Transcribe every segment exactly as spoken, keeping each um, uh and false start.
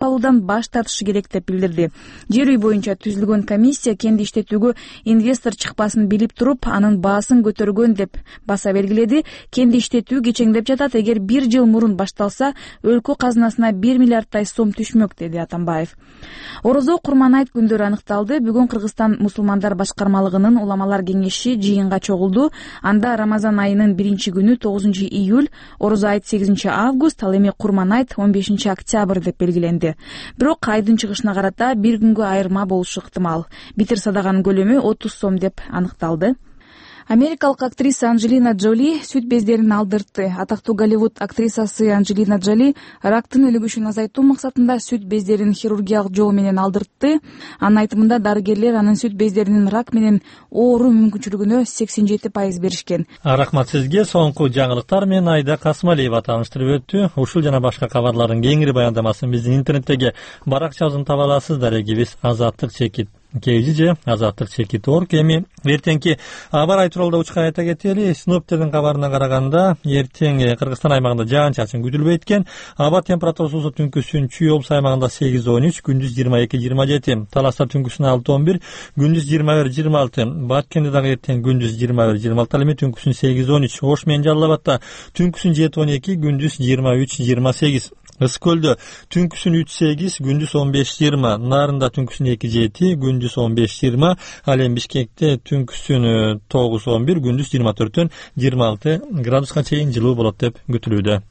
алуудан баш тартышы керек деп билдирди. Жер үй боюнча түзүлгөн комиссия кенди иштетүүгө инвестор чыкпасын билип туруп, анын баасын көтөргөн деп баса белгиледи. Кенди иштетүү кечеңдеп жатат. Эгер бир жыл мурун башталса, өлкө казынасына бир миллиардтай сом түшмөк, деди Атамбаев. Орозо Курман айт күндөрү аныкталды. Бүгүн Кыргызстан мусулмандар башкармалыгынын уламалар кеңеши жыйынга чогулду. Анда Рамазан айынын биринчи күнү тогузунчу июль, Орозо айт сегизинчи август, ал эми Курман айт он бешинчи октябрь деп белгиленди. Бирок айдын чыгышына карата бир күнгө айырма болушу ыктымал. Битир садаганын көлөмү отуз сом деп аныкталды. Америкалык актриса Анджелина Джоли сүт бездерин алдыртты. Атактуу Голливуд актрисасы Анджелина Джоли рактын өлүгүшүн азайтуу максатында сүт бездерин хирургиялык жол менен алдыртты. Анын айтымында дарыгерлер анын сүт бездеринин рак менен ооруу мүмкүнчүлүгүнө сексен жети пайыз беришкен. Рахмат сизге. Соңку жаңылыктар менен Айда Касмалиева тааныштырып өттү. Ушул жана башка кабарлардын кеңири баяндамасын биздин интернеттеги баракчабыздан таба аласыздар. Эгибиз азаттык чекит кежи же азаттык чекит орг. Эми эртеңки аба ырайы тууралуу да учка айта кетели. Синоптиктердин кабарына караганда эртең Кыргызстан аймагында жаан-чачын күтүлбөйт экен. Аба температурасы түнкүсүн Чүй облусу аймагында сегиз он үч, күндүз жыйырма эки жыйырма жети, Таласта түнкүсүн алты он бир, күндүз жыйырма бир жыйырма алты, Баткенде дагы эртең күндүз жыйырма бир жыйырма алты, ал эми түнкүсүн сегиз он үч, Ош менен Жалал Абадта түнкүсүн жети он эки, күндүз жыйырма үч жыйырма сегиз, Ысык көлдө түнкүсүн үч сегиз, күндүз он беш жыйырма, Нарында түнкүсүн эки жети, күндүз он беш жыйырма, ал эми Бишкекте түнкүсүн тогуз он бир, күндүз жыйырма төрттөн жыйырма алты градуска чейин жылуу болот деп күтүлүүдө.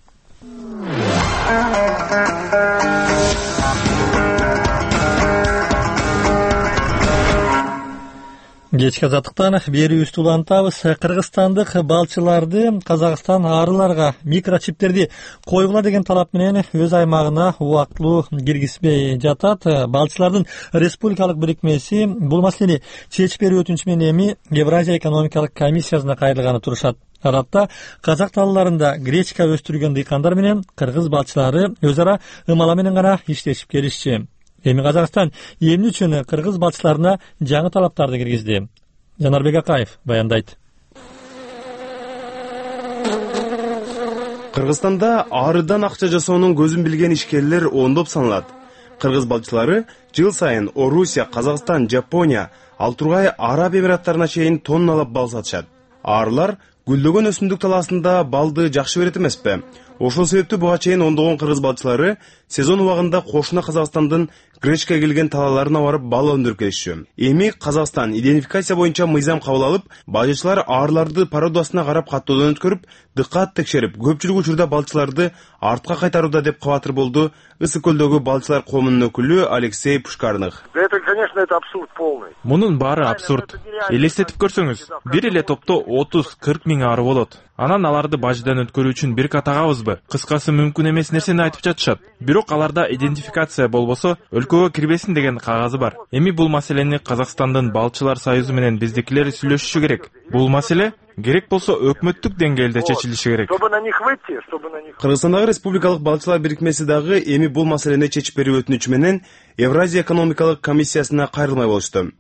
Кечки азаттыктан берүүбүздү улантабыз. Кыргызстандык балчыларды Казакстан арыларга микрочиптерди койгула деген талап менен өз аймагына убактылуу киргизбей жатат. Балчылардын республикалык бирикмеси бул маселени чечип берүү өтүнүчү менен эми Евразия экономикалык комиссиясына кайрылганы турушат. Арапта Казак талларында гречка өстүргөн дыйкандар менен кыргыз балчылары өз ара ымала менен гана иштешип келишчи. Эми Казакстан эмне үчүн кыргыз балчыларына жаңы талаптарды киргизди? Жанарбек Акаев баяндайт. Кыргызстанда арыдан акча жасоонун көзүн билген ишкерлер ондоп саналат. Кыргыз балчылары жыл сайын Орусия, Казакстан, Жапония, ал тургай Араб Эмираттарына чейин тонналап бал сатышат. Арылар гүлдөгөн өсүмдүк талаасында балды жакшы берет эмеспи? Ошол себептүү буга чейин ондогон кыргыз балчылары сезон убагында кошуна Казакстандын гречка келген талааларына барып бал өндүрүп келишчү. Эми Казакстан идентификация боюнча мыйзам кабыл алып, бажычылар арыларды породасына карап каттоодон өткөрүп, дыккат текшерип, көпчүлүк учурда балчыларды артка кайтарууда деп кабатыр болду Ысык көлдөгү балчылар коомунун өкүлү Алексей Пушкарных. Это, конечно, это абсурд полный. Мунун баары абсурд. Элестетип көрсөңүз, бир эле топто отуз кырк миң ары болот. Анан аларды бажыдан өткөрүү үчүн бир катагабызбы? Кыскасы мүмкүн эмес нерсени айтып жатышат. Бирок аларда идентификация болбосо өлкөгө кирбесин деген кагазы бар. Эми бул маселени Казакстандын балчылар союзу менен биздикилер сүйлөшүшү керек. Бул маселе керек болсо өкмөттүк деңгээлде чечилиши керек. Чтобы на них выйти, чтобы на них. Кыргызстандагы республикалык балчылар бирикмеси дагы эми бул маселени чечип берүү өтүнүчү менен Евразия экономикалык комиссиясына кайрылмай болушту.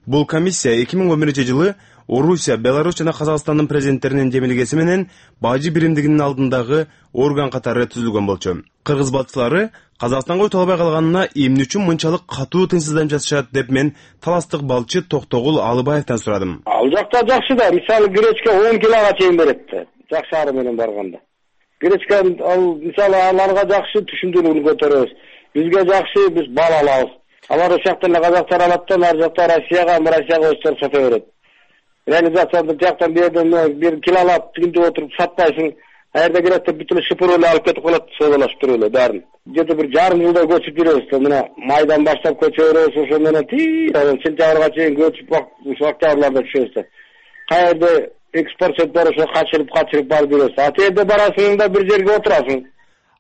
Бул комиссия эки миң он биринчи жылы Орусия, Беларусь жана Казакстандын президенттеринин жемилгеси менен бажы биримдигинин алдындагы орган катары түзүлгөн болчу. Кыргыз балчылары Казакстанга өтө албай калганына эмне үчүн мынчалык катуу тынчсызданып жатышат деп мен таластык балчы Токтогул Алыбаевден сурадым. Ал жакта жакшы да, мисалы гречка он килога чейин берет да, жакшы ары менен барганда. Гречка ал мисалы аларга жакшы түшүндүрүүнү көтөрөбүз. Бизге жакшы, биз бал алабыз. Алар ошактан казактар алат да, ар жакта Россияга, Россияга өстөр сата берет. Реализацияда жактан берден бир килолап тигинде отуруп сатпайсың. Аерде керекте бүтүн шыпыр эле алып кетип калат, содалашып туруп эле баарын. Где-то бир жарым жылда көчүп жүрөбүз. Мына майдан баштап көчөрөбүз, ошо менен ти, сентябрга чейин көчүп ушул октябрларда түшөбүз. Каерде экспорт бар, ошо качырып качырып барып жүрөбүз. А жерде барасың да бир жерге отурасың.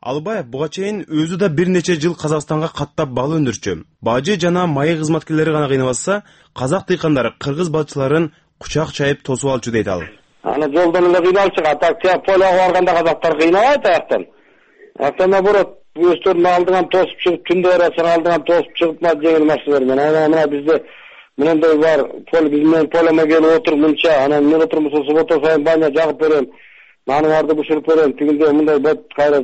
Алыбаев буга чейин өзү да бир нече жыл Казакстанга каттап бал өндүрчү. Бажы жана майы кызматкерлери гана кыйнабаса, казак дыйкандары кыргыз балчыларын кучак чайып тосуп алчу дейт ал. Аны жолдон эле кыйналып чыгат. Так полага барганда казактар кыйнабайт аяктан. Аяктан наоборот, өстөрүн алдыңан тосуп чыгып, түндө барасың алдыңан тосуп чыгып, мына жеңил машиналар менен. Анан мына бизде мындай бар, пол биз менен полема келип отуруп мынча, анан мен отурмусун суббота сайын баня жагып берем. наныңарды бышырып берем, тигинде мындай бет кайра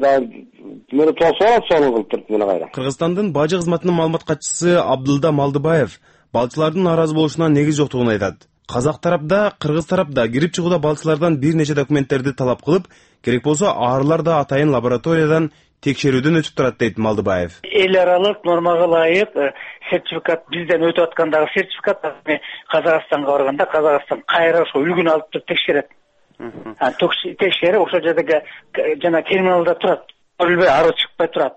мени толсо алат, сону кылып туруп мени кайра. Кыргызстандын бажы кызматынын маалымат катчысы Абдылда Малдыбаев балчылардын нааразы болушуна негиз жоктугун айтат. Казак тарапта, кыргыз тарапта кирип чыгууда балчылардан бир нече документтерди талап кылып, керек болсо арылар да атайын лабораториядан текшерүүдөн өтүп турат дейт Малдыбаев. Эл аралык нормага ылайык сертификат бизден өтүп аткандагы сертификат Казакстанга барганда Казакстан кайра ошо үлгүн алып туруп текшерет. Текшерип ошол жердеги жана терминалда турат. Көрүлбөй ары чыкпай турат.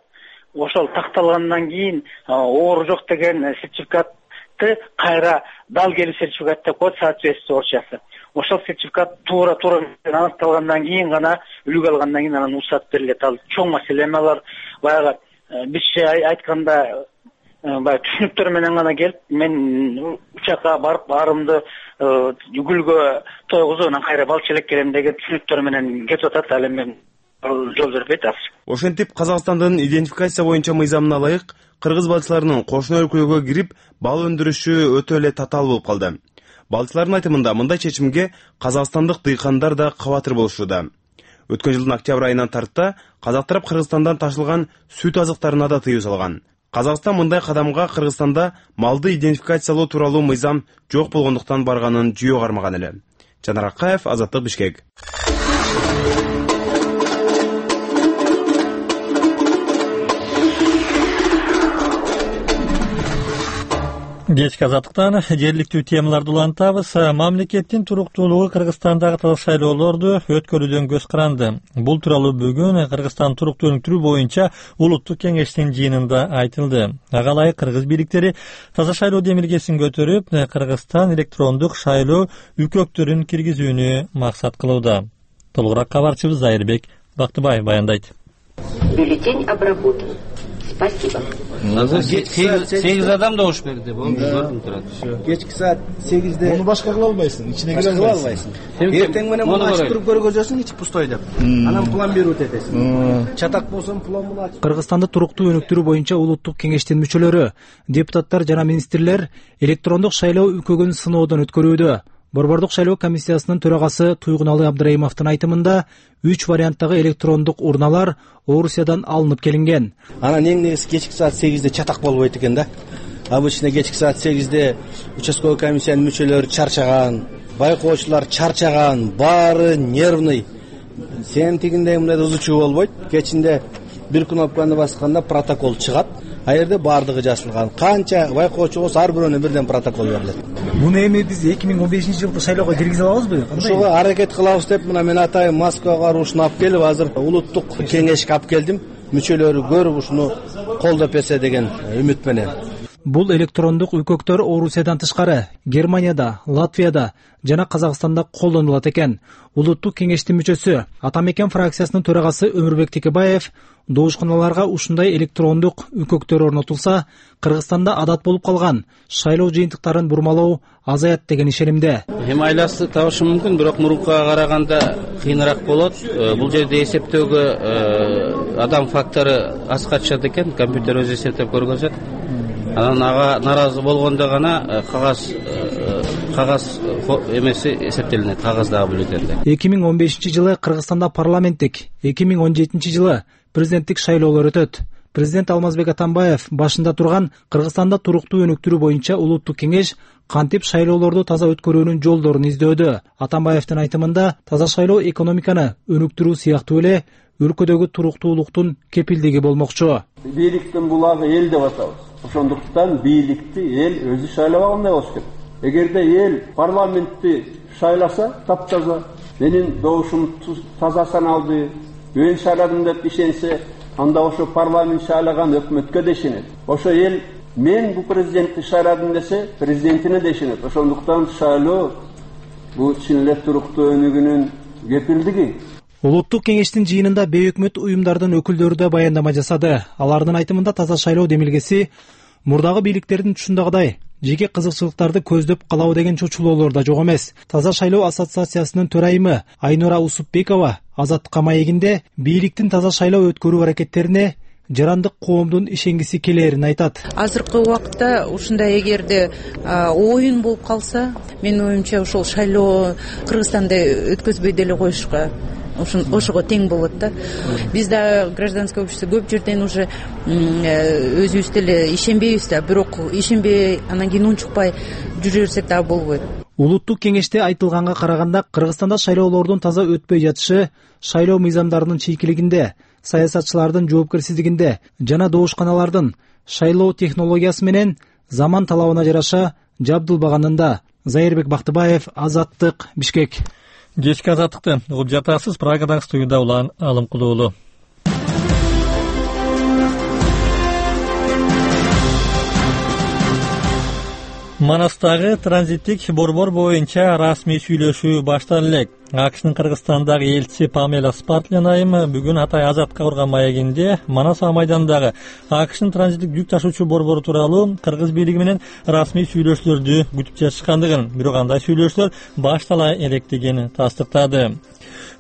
Ошол такталгандан кийин оору жок деген сертификатты кайра дал келүү сертификат деп коет, соответствие орусчасы. Ошол сертификат туура туура аныкталгандан кийин гана үлгү алгандан кийин анан уруксат берилет. Ал чоң маселе эме, алар баягы бизче айтканда баягы түшүнүктөр менен гана келип, мен учакка барып арымды гүлгө тойгузуп анан кайра балчы элек келем деген түшүнүктөр менен кетип атат. Ал эми жол бербейт азыр. Ошентип Казакстандын идентификация боюнча мыйзамына ылайык кыргыз балчыларынын кошуна өлкөгө кирип бал өндүрүшү өтө эле татаал болуп калды. Балчылардын айтымында мындай чечимге казакстандык дыйкандар да кабатыр болушууда. Өткөн жылдын октябрь айынан тарта казак тарап Кыргызстандан ташылган сүт азыктарына да тыюу салган. Казакстан мындай кадамга Кыргызстанда малды идентификациялоо тууралуу мыйзам жок болгондуктан барганын жүйө кармаган эле. Жанар Акаев, Азаттык, Бишкек. Кечки Азаттыктан жергиликтүү темаларды улантабыз. Мамлекеттин туруктуулугу Кыргызстандагы таза шайлоолорду өткөрүүдөн көз каранды. Бул тууралуу бүгүн Кыргызстан туруктуу өнүктүрүү боюнча улуттук кеңештин жыйынында айтылды. Ага ылайык кыргыз бийликтери таза шайлоо демилгесин көтөрүп, Кыргызстан электрондук шайлоо үкөктөрүн киргизүүнү максат кылууда. Толугураак кабарчыбыз Зайырбек Бактыбаев баяндайт. Бюллетень обработан. Спасибо. сегиз адам добуш берди. Көрүнүп турат. Кечки саат сегизде. Муну башка кыла албайсың, ичине кире албайсың. Эртең менен муну ачып туруп көргөзөсүң, ичи пустой деп. Анан план берүүт этесиң. Чатак болсоң план муну ачып. Кыргызстанды туруктуу өнүктүрүү боюнча улуттук кеңештин мүчөлөрү, депутаттар жана министрлер электрондук шайлоо үкөгүн сыноодон өткөрүүдө. Борбордук шайлоо комиссиясынын төрагасы Туйгуналы Абдрайымовдун айтымында үч варианттагы электрондук урналар Орусиядан алынып келинген. Анан эң негизи кечки саат сегизде чатак болбойт экен да. Обычно кечки саат сегизде участковый комиссиянын мүчөлөрү чарчаган, байкоочулар чарчаган, баары нервный. Сен тигиндей мындай ызычуу болбойт. Кечинде бир кнопканы басканда протокол чыгат. А жерде баардыгы жазылган. Канча байкоочу болсо ар бирөөнө бирден протокол берилет. Муну эми биз эки миң он бешинчи жылкы шайлоого киргизе алабызбы? Ошого аракет кылабыз деп мына мен атайын Москвага барып ушуну алып келип, азыр улуттук кеңешке алып келдим. Мүчөлөрү көрүп ушуну колдоп берсе деген үмүт менен. Бул электрондук үкөктөр Орусиядан тышкары Германияда, Латвияда жана Казакстанда колдонулат экен. Улуттук кеңештин мүчөсү Атамекен фракциясынын төрагасы Өмүрбек Текебаев доошканаларга ушундай электрондук үкөктөр орнотулса, Кыргызстанда адат болуп калган шайлоо жыйынтыктарын бурмалоо азаят деген ишенимде. Эми айласы табышы мүмкүн, бирок мурункуга караганда кыйыныраак болот. Бул жерде эсептөөгө адам фактору аз катышат экен, компьютер өзү эсептеп көргөзөт. Анан ага наразы болгондо гана кагаз кагаз эмеси эсептелинет, кагаздагы бюллетенде. эки миң он бешинчи жылы Кыргызстанда парламенттик, эки миң он жетинчи жылы президенттик шайлоолор өтөт. Президент Алмазбек Атамбаев башында турган Кыргызстанда туруктуу өнүктүрүү боюнча улуттук кеңеш кантип шайлоолорду таза өткөрүүнүн жолдорун издөөдө. Атамбаевдин айтымында таза шайлоо экономиканы өнүктүрүү сыяктуу эле өлкөдөгү туруктуулуктун кепилдиги болмокчу. Бийликтин булагы эл деп атабыз. Ошондуктан бийликти эл өзү шайлап алгандай болуш керек. Эгерде эл парламентти шайласа, таптаза, менин добушум таза саналды, мен шайладым деп ишенсе, анда ошо парламент шайлаган өкмөткө да ишенет. Ошо эл мен бу президентти шайладым десе, президентине да ишенет. Ошондуктан шайлоо бул чын эле туруктуу өнүгүүнүн кепилдиги. Улуттук кеңештин жыйынында бейөкмөт уюмдардын өкүлдөрү да баяндама жасады. Алардын айтымында таза шайлоо демилгеси мурдагы бийликтердин түшүндөгүдөй жеке кызыкчылыктарды көздөп калабы деген чочулоолор да жок эмес. Таза шайлоо ассоциациясынын төрайымы Айнура Усупбекова Азаттыкка маегинде бийликтин таза шайлоо өткөрүү аракеттерине жарандык коомдун ишенгиси келерин айтат. Азыркы убакытта ушундай эгерде оюн болуп калса, менин оюмча ошол шайлоо Кыргызстанда өткөзбөй деле коюшка ошого тең болот да. Биз да гражданское общество көп жерден уже өзүбүз деле ишенбейбиз да, бирок ишенбей анан кийин унчукпай жүрө берсек дагы болбойт. Улуттук кеңеште айтылганга караганда, Кыргызстанда шайлоолордун таза өтпөй жатышы шайлоо мыйзамдарынын чийкилигинде, саясатчылардын жоопкерсиздигинде жана добушканалардын шайлоо технологиясы менен заман талабына жараша жабдылбаганында. Зайырбек Бактыбаев, Азаттык, Бишкек. Кечки Азаттыкты угуп жатасыз. Прагадан студияда Улан Алымкулуулу. Манастагы транзиттик борбор боюнча расмий сүйлөшүү башталып элек. АКШнын Кыргызстандагы элчиси Памела Спартлен айым бүгүн Атай Азатка урган маегинде Манас майданындагы АКШнын транзиттик жүк ташуучу борбору тууралуу кыргыз бийлиги менен расмий сүйлөшүүлөрдү күтүп жатышкандыгын, бирок андай сүйлөшүүлөр баштала электигин тастыктады.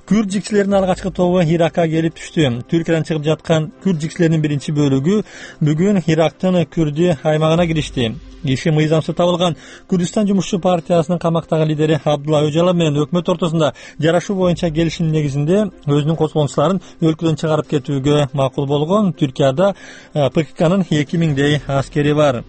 Күрд жикчилеринин алгачкы тобу Иракка келип түштү. Түркиядан чыгып жаткан күрд жикчилеринин биринчи бөлүгү бүгүн Ирактын Күрдү аймагына киришти. Иши мыйзамсыз табылган Күрдүстан жумушчу партиясынын камактагы лидери Абдулла Өжалов менен өкмөт ортосунда жарашуу боюнча келишим негизинде өзүнүн козголгончуларын өлкөдөн чыгарып кетүүгө макул болгон. Түркияда ПККнын эки миңдей аскери бар.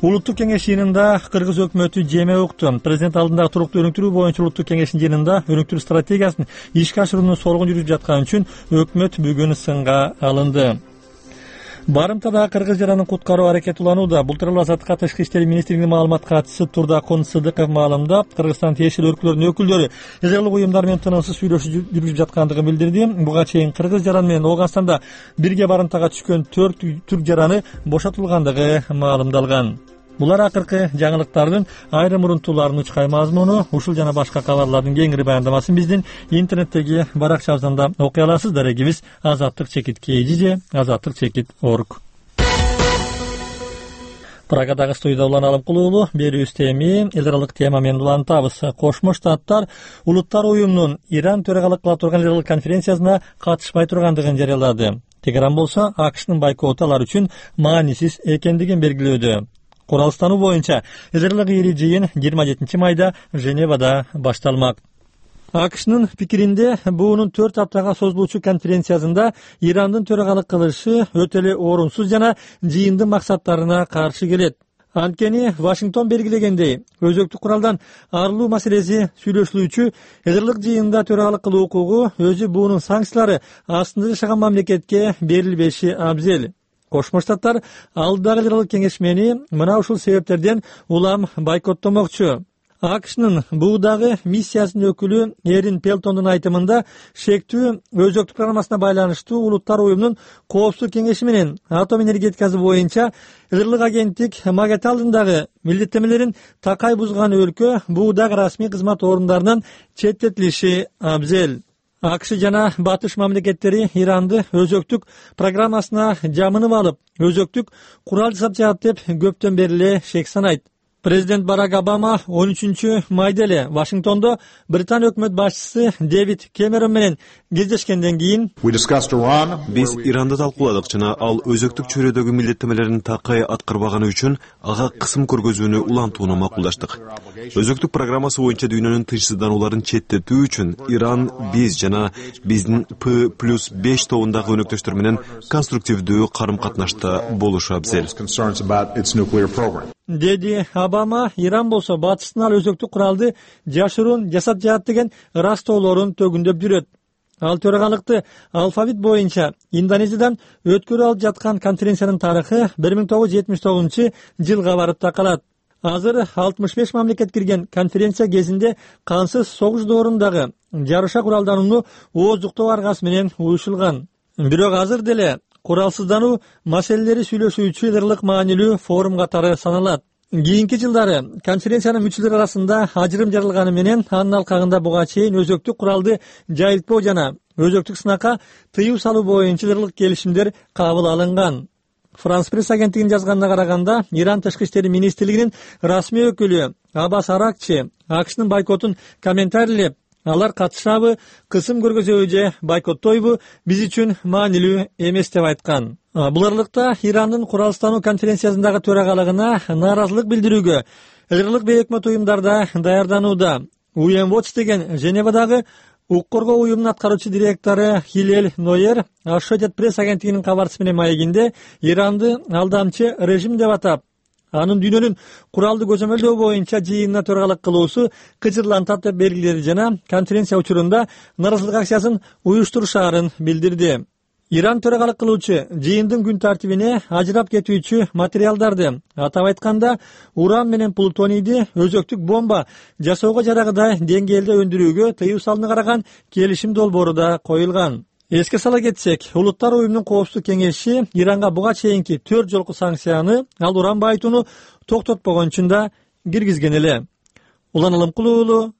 Улуттук кеңеш жыйынында кыргыз өкмөтү жеме укту. Президент алдындагы туруктуу өнүктүрүү боюнча улуттук кеңештин жыйынында өнүктүрүү стратегиясын ишке ашырууну соргун жүрүп жаткан үчүн өкмөт бүгүн сынга алынды. Барымтада кыргыз жаранын куткаруу аракети уланууда. Бул тууралуу Азаттыкка Тышкы иштер министрлигинин маалымат катчысы Турдакун Сыдыков маалымдап, Кыргызстан тиешелүү өлкөлөрдүн өкүлдөрү израилдик уюмдар менен тынымсыз сүйлөшүү жүргүзүп жаткандыгын билдирди. Буга чейин кыргыз жаран менен Ооганстанда бирге барымтага түшкөн төрт түрк жараны бошотулгандыгы маалымдалган. Булар акыркы жаңылыктардын айрым урунтууларынын учкай мазмуну. Ушул жана башка кабарлардын кеңири баяндамасын биздин интернеттеги баракчабыздан окуй аласыз. Дарегибиз азаттык чекит kg же азаттык чекит org. Прагадагы студияда Улан Алымкулуулу. Берүүбүз эми эл аралык тема менен улантабыз. Кошмо Штаттар Улуттар уюмунун Иран төрагалык кыла турган эл аралык конференциясына катышпай тургандыгын жарыялады. Тегеран болсо АКШнын бойкоту алар үчүн маанисиз экендигин белгилөөдө. Куралстануу боюнча эл ири жыйын жыйырма жетинчи майда Женевада башталмак. АКШнын пикиринде буунун төрт аптага созулуучу конференциясында Ирандын төрагалык кылышы өтө эле орунсуз жана жыйындын максаттарына каршы келет. Анткени Вашингтон белгилегендей, өзөктүк куралдан арылуу маселеси сүйлөшүлүүчү эл жыйында төрагалык кылуу укугу өзү буунун санкциялары астында жашаган мамлекетке берилбеши абзел. Кошмо Штаттар алдагы эл кеңешмени мына ушул себептерден улам бойкоттомокчу. АКШнын буудагы миссиясынын өкүлү Эрин Пелтондун айтымында шектүү өзөктүк программасына байланыштуу Улуттар уюмунун коопсуздук кеңеши менен атом энергетикасы боюнча эл агенттик Магат алдындагы милдеттенмелерин такай бузган өлкө буудагы расмий кызмат орундарынан четтетилиши абзел. АКШ жана батыш мамлекеттери Иранды өзөктүк программасына жамынып алып, өзөктүк курал жасап жатат деп көптөн бери эле шек санайт. Президент Барак Обама он үчүнчү майда эле Вашингтондо Британия өкмөт башчысы Дэвид Кэмерон менен кездешкенден кийин биз Иранды талкууладык жана ал өзөктүк чөйрөдөгү милдеттенмелерин такай аткарбаганы үчүн ага кысым көргөзүүнү улантууну макулдаштык. Өзөктүк программасы боюнча дүйнөнүн тынчсызданууларын четтетүү үчүн Иран биз жана биздин П плюс беш тобундагы өнөктөштөр менен конструктивдүү карым-катнашта болушу абзел. Деди Обама, Иран болсо батыштын ал өзөктүк куралды жашыруун жасап жатат деген ырастоолорун төгүндөп жүрөт. Ал төрагалыкты алфавит боюнча Индонезиядан өткөрүп алып жаткан конференциянын тарыхы бир миң тогуз жүз жетимиш тогузунчу жылга барып такалат. Азыр алтымыш беш мамлекет кирген конференция кезинде кансыз согуш доорундагы жарыша куралданууну ооздуктоо аргасы менен уюшулган. Бирок азыр деле куралсыздануу маселелери сүйлөшүүчү эл маанилүү форум катары саналат. Кийинки жылдары конференциянын мүчөлөрү арасында ажырым жарылганы менен анын алкагында буга чейин өзөктүк куралды жайылтпоо жана өзөктүк сынакка тыюу салуу боюнча эл келишимдер кабыл алынган. Франс пресс агенттигинин жазганына караганда, Иран тышкы иштери министрлигинин расмий өкүлү Аббас Аракчи АКШнын бойкотун комментарийлеп, алар катышабы, кысым көргөзөбү же бойкоттойбу биз үчүн маанилүү эмес деп айткан. Бул аралыкта Ирандын куралстануу конференциясындагы төрагалыгына нааразылык билдирүүгө эл бейөкмөт уюмдарда даярданууда. ю эн Watch деген Женевадагы Укук коргоо уюмунун аткаруучу директору Хилель Нойер Associated Press агенттигинин кабарчысы менен маегинде Иранды алдамчы режим деп атап, анын дүйнөнүн куралды көзөмөлдөө боюнча жыйынына төрагалык кылуусу кыжырлантат деп белгиледи жана конференция учурунда нааразычылык акциясын уюштурушаарын билдирди. Иран төрагалык кылуучу жыйындын күн тартибине ажырап кетүүчү материалдарды, атап айтканда уран менен плутонийди өзөктүк бомба жасоого жарагыдай деңгээлде өндүрүүгө тыюу салууна караган келишим долбоору да коюлган. Эске сала кетсек, Улуттар уюмунун коопсуздук кеңеши Иранга буга чейинки төрт жолку санкцияны, ал уран байытууну токтотпогон үчүн да киргизген эле. Улан Алымкулуу уулу,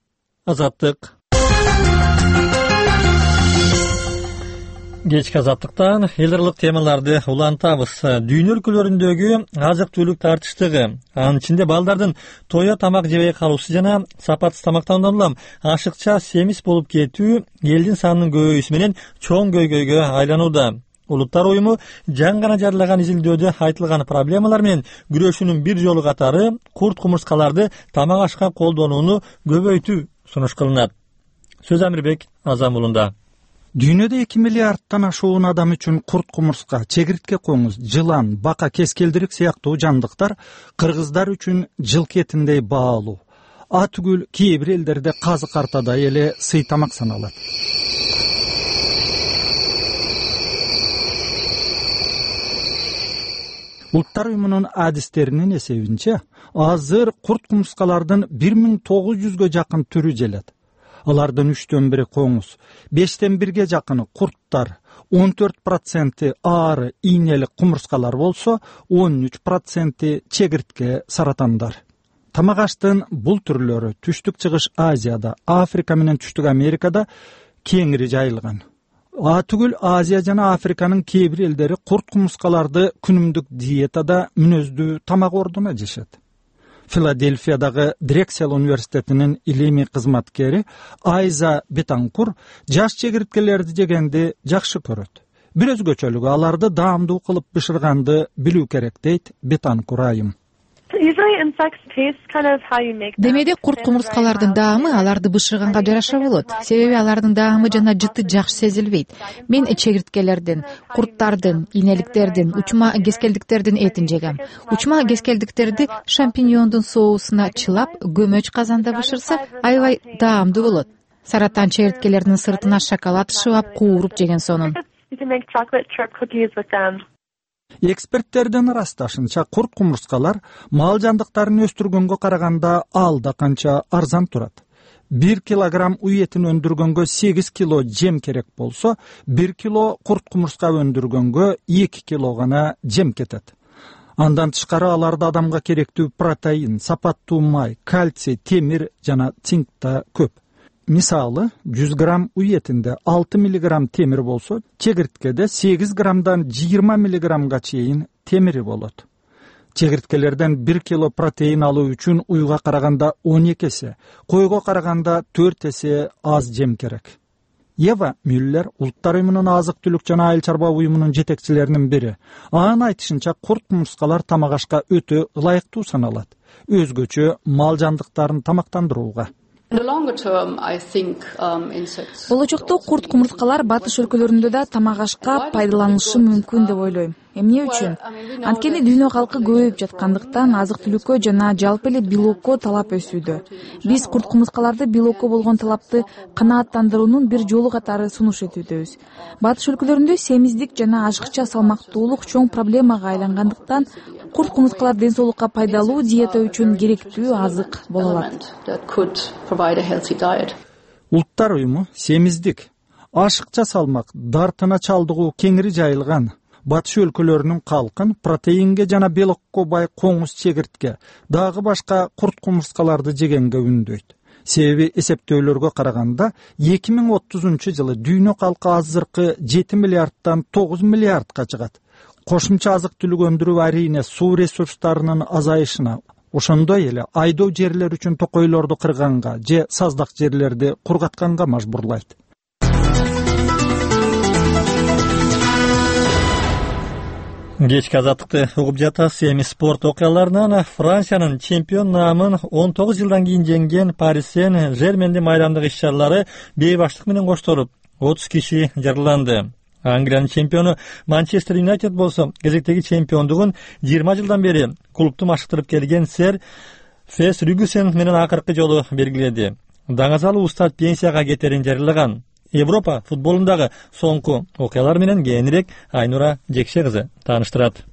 Азаттык. Кечки Азаттыктан эл аралык темаларды улантабыз. Дүйнө өлкөлөрүндөгү азык түлүк тартыштыгы, анын ичинде балдардын тоя тамак жебей калуусу жана сапатсыз тамактануудан улам ашыкча семиз болуп кетүү элдин санынын көбөйүүсү менен чоң көйгөйгө айланууда. Улуттар уюму жаңы гана жарыялаган изилдөөдө айтылган проблемалар менен күрөшүүнүн бир жолу катары курт кумурскаларды тамак ашка колдонууну көбөйтүү сунуш кылынат. Сөз Амирбек Азам уулунда. Дүйнөдө эки миллиардтан ашуун адам үчүн курт кумурска, чегиртке коңуз, жылан, бака, кескелдирик сыяктуу жандыктар кыргыздар үчүн жылкы этиндей баалуу. А түгүл кээ бир элдерде казык артадай эле сый тамак саналат. Улуттар уюмунун адистеринин эсебинче, азыр курт кумурскалардын бир миң тогуз жүзгө жакын түрү желет. Алардын үчтөн бири коңуз, бештен бирге жакыны курттар, он төрт проценти аары ийнелик кумурскалар болсо, он үч проценти чегиртке саратандар. Тамак аштын бул түрлөрү Түштүк Чыгыш Азияда, Африка менен Түштүк Америкада кеңири жайылган. А түгүл Азия жана Африканын кээ бир элдери курт кумурскаларды күнүмдүк диетада мүнөздүү тамак ордуна жешет. Филадельфиядагы Дрексел университетинин илимий кызматкери Айза Бетанкур жаш чегирткелерди жегенди жакшы көрөт. Бир өзгөчөлүгү аларды даамдуу кылып бышырганды билүү керек, дейт Бетанкур айым. Демеде курт кумурскалардын даамы аларды бышырганга жараша болот. Себеби алардын даамы жана жыты жакшы сезилбейт. Мен чегирткелердин, курттардын, ийнеликтердин, учма кескелдиктердин этин жегем. Учма кескелдиктерди шампиньондун соусуна чылап, көмөч казанда бышырса, аябай даамдуу болот. Саратан чегирткелердин сыртына шоколад шыбап, кууруп жеген сонун. Эксперттердин ырасташынча, курт кумурскалар мал жандыктарын өстүргөнгө караганда алда канча арзан турат. бир килограмм уй этин өндүргөнгө сегиз кило жем керек болсо, бир кило курт кумурска өндүргөнгө эки кило гана жем кетет. Андан тышкары аларда адамга керектүү протеин, сапаттуу май, кальций, темир жана цинк да көп. Мисалы, жүз грамм уй этинде алты миллиграмм темир болсо, чегирткеде сегиз граммдан жыйырма миллиграммга чейин темири болот. Чегирткелерден бир кило протеин алуу үчүн уйга караганда он эки эсе, койго караганда төрт эсе аз жем керек. Ева Мюллер, Улуттар уюмунун азык түлүк жана айыл чарба уюмунун жетекчилеринин бири. Анын айтышынча, курт кумурскалар тамак ашка өтө ылайыктуу саналат, өзгөчө мал жандыктарын тамактандырууга. Болочокто курт кумурскалар батыш өлкөлөрүндө да тамак ашка пайдаланышы мүмкүн деп ойлойм. Эмне үчүн? Анткени дүйнө калкы көбөйүп жаткандыктан азык түлүккө жана жалпы эле белокко талап өсүүдө. Биз курт кумурскаларды белокко болгон талапты канааттандыруунун бир жолу катары сунуш этүүбүз. Батыш өлкөлөрүндө семиздик жана ашыкча салмактуулук чоң проблемага айлангандыктан курт кумурскалар ден соолукка пайдалуу диета үчүн керектүү азык боло алат. Улуттар уюму семиздик, ашыкча салмак, дартына чалдыгуу кеңири жайылган батыш өлкөлөрүнүн калкын протеинге жана белокко бай коңуз, чегиртке, дагы башка курт кумурскаларды жегенге үндөйт. Себеби эсептөөлөргө караганда эки миң отузунчу жылы дүйнө калкы азыркы жети миллиардтан тогуз миллиардка чыгат. Кошумча азык түлүк өндүрүү арийне суу ресурстарынын азайышына, ошондой эле айдоо жерлер үчүн токойлорду кырганга же саздак жерлерди кургатканга мажбурлайт. Кечки азаттыкты угуп жатасыз. Эми спорт окуяларынан Франциянын чемпион наамын он тогуз жылдан кийин жеңген Пари Сен-Жермендин майрамдык иш-чаралары бейбаштык менен коштолуп, отуз киши жараланды. Англиянын чемпиону Манчестер Юнайтед болсо кезектеги чемпиондугун жыйырма жылдан бери клубду машыктырып келген сэр Фергюсон менен акыркы жолу белгиледи. Даңазалуу устат пенсияга кетерин жарыялаган. Европа футболундагы соңку окуялар менен кээнирээк Айнура Жекше кызы тааныштырат.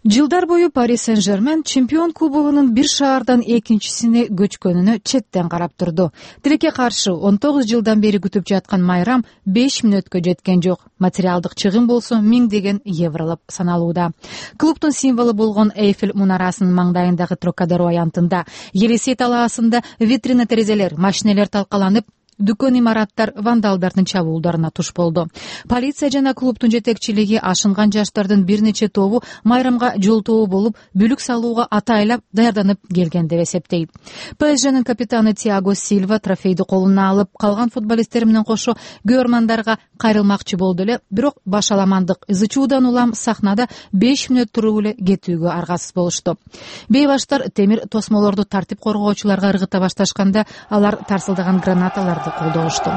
Жылдар бою Пари Сен-Жермен чемпион кубогунун бир шаардан экинчисине көчкөнүнө четтен карап турду. Тилекке каршы он тогуз жылдан бери күтүп жаткан майрам беш мүнөткө жеткен жок. Материалдык чыгым болсо миңдеген евролоп саналууда. Клубдун символу болгон Эйфель мунарасынын маңдайындагы Трокадеро аянтында, Елисей талаасында витрина терезелер, машинелер талкаланып, дүкөн имараттар вандалдардын чабуулдарына туш болду. Полиция жана клубдун жетекчилиги ашынган жаштардын бир нече тобу майрамга жолтоо болуп, бүлүк салууга атайлап даярданып келген деп эсептейт. ПСЖнын капитаны Тиаго Сильва трофейди колуна алып, калган футболисттер менен кошо көрөрмандарга кайрылмакчы болду эле, бирок башаламандык ызы чуудан улам сахнада беш мүнөт туруп эле кетүүгө аргасыз болушту. Бейбаштар темир тосмолорду тартип коргоочуларга ыргыта башташканда, алар тарсылдаган гранаталарды колдошту.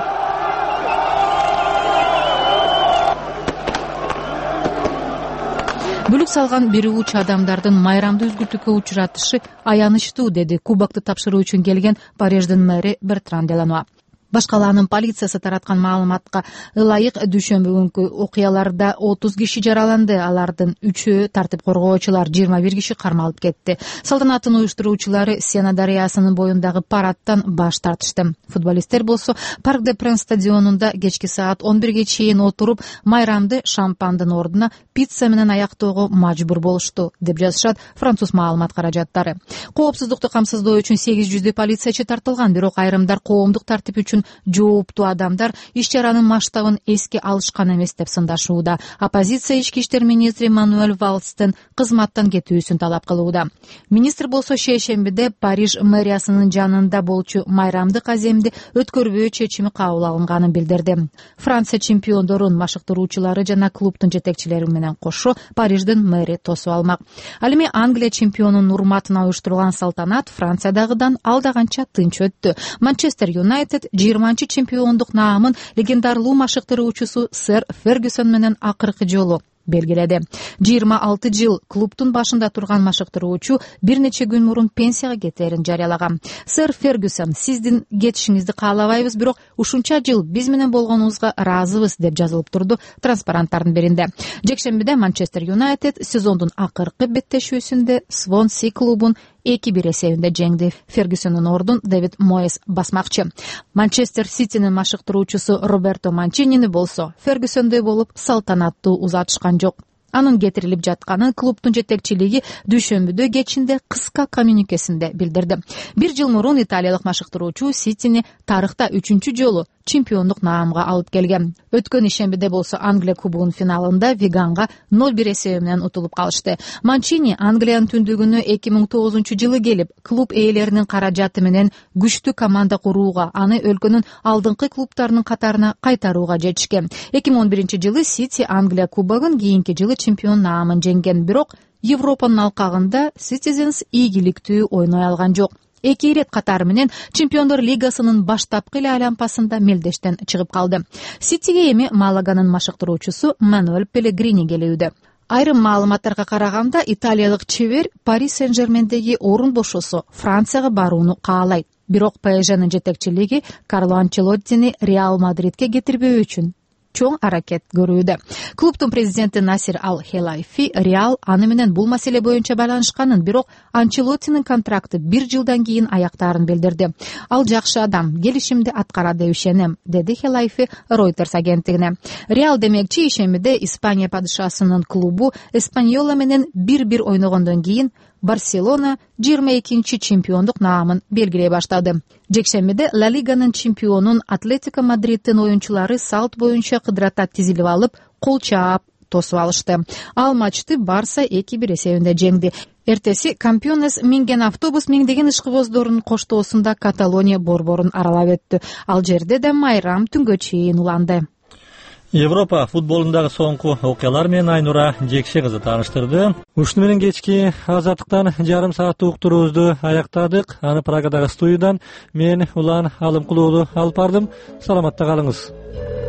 Бүлүк салган бир уч адамдардын майрамды үзгүлтүккө учуратышы аянычтуу, деди кубокты тапшыруу үчүн келген Париждин мэри Бертран Делано. Башкалаанын полициясы тараткан маалыматка ылайык дүйшөмбү күнкү окуяларда отуз киши жараланды. Алардын үчөө тартип коргоочулар, жыйырма бир киши кармалып кетти. Салтанаттын уюштуруучулары Сена дарыясынын боюндагы парадтан баш тартышты. Футболисттер болсо Парк де Пренс стадионунда кечки саат он бирге чейин отуруп, майрамды шампандын ордуна пицца менен аяктоого мажбур болушту, деп жазышат француз маалымат каражаттары. Коопсуздукту камсыздоо үчүн сегиз жүздөй полициячы тартылган, бирок айрымдар коомдук тартип үчүн жооптуу адамдар иш-чаранын масштабын эске алышкан эмес деп сындашууда. Оппозиция ички иштер министри Мануэль Валстен кызматтан кетүүсүн талап кылууда. Министр болсо шейшембиде Париж мэриясынын жанында болчу майрамдык аземди өткөрбөө чечими кабыл алынганын билдирди. Франция чемпиондорун машыктыруучулары жана клубдун жетекчилери менен кошо Париждин мэри тосуп алмак. Ал эми Англия чемпионунун урматына уюштурулган салтанат Франциядагыдан алдаганча тынч өттү. Манчестер Юнайтед жыйырманчы чемпиондук наамын легендарлуу машыктыруучусу сэр Фергюсон менен акыркы жолу белгиледи. жыйырма алты жыл клубдун башында турган машыктыруучу бир нече күн мурун пенсияга кетерин жарыялаган. Сэр Фергюсон, сиздин кетишиңизди каалабайбыз, бирок ушунча жыл биз менен болгонуңузга ыраазыбыз, деп жазылып турду транспаранттардын биринде. Жекшембиде Манчестер Юнайтед сезондун акыркы беттешүүсүндө Свонси клубун эки бир эсебинде жеңди. Фергюсондун ордун Дэвид Моэс басмакчы. Манчестер Ситинин машыктыруучусу Роберто Манчинини болсо Фергюсондой болуп салтанаттуу узатышкан жок. Анын кетирилип жатканын клубдун жетекчилиги дүйшөмбүдө кечинде кыска коммюникесинде билдирди. Бир жыл мурун италиялык машыктыруучу Ситини тарыхта үчүнчү жолу чемпиондук наамга алып келген. Өткөн ишембиде болсо Англия кубогунун финалында Виганга ноль бир эсеби менен утулуп калышты. Манчини Англиянын түндүгүнө эки миң тогузунчу жылы келип, клуб ээлеринин каражаты менен күчтүү команда курууга, аны өлкөнүн алдыңкы клубтарынын катарына кайтарууга жетишкен. эки миң он биринчи жылы Сити Англия кубогун, кийинки жылы чемпион наамын жеңген, бирок Европанын алкагында Citizens ийгиликтүү ойной алган жок. Эки ирет катары менен Чемпиондор лигасынын баштапкы эле айланпасында мелдештен чыгып калды. Ситиге эми Малаганын машыктыруучусу Мануэль Пелегрини келүүдө. Айрым маалыматтарга караганда, италиялык чебер Пари Сен-Жермендеги орун бошосо Францияга барууну каалайт. Бирок ПСЖнын жетекчилиги Карло Анчелоттини Реал Мадридке кетирбөө үчүн чоң аракет көрүүдө. Клубдун президенти Насир Ал-Хелайфи Реал аны менен бул маселе боюнча байланышканын, бирок Анчелоттинин контракты бир жылдан кийин аяктаарын билдирди. Ал жакшы адам, келишимди аткарат деп ишенем, деди Хелайфи Reuters агенттигине. Реал демекчи ишембиде Испания падышасынын клубу Эспаньола менен бир бир ойногондон кийин Барселона жыйырма экинчи чемпиондук наамын белгилей баштады. Жекшембиде Ла Лиганын чемпионун Атлетико Мадридтин оюнчулары салт боюнча кыдырата тизилип алып, кол чаап тосуп алышты. Ал матчты Барса эки бир эсебинде жеңди. Эртеси Кампионес минген автобус миңдеген ишкыбоздордун коштоосунда Каталония борборун аралап өттү. Ал жерде да майрам түнгө чейин уланды. Европа футболундагы соңку окуялар менен Айнура Жекше кызы тааныштырды. Ушуну менен кечки азаттыктан жарым сааттык уктуруубузду аяктадык. Аны Прагадагы студиядан мен Улан Алымкулуулу алып бардым. Саламатта калыңыз.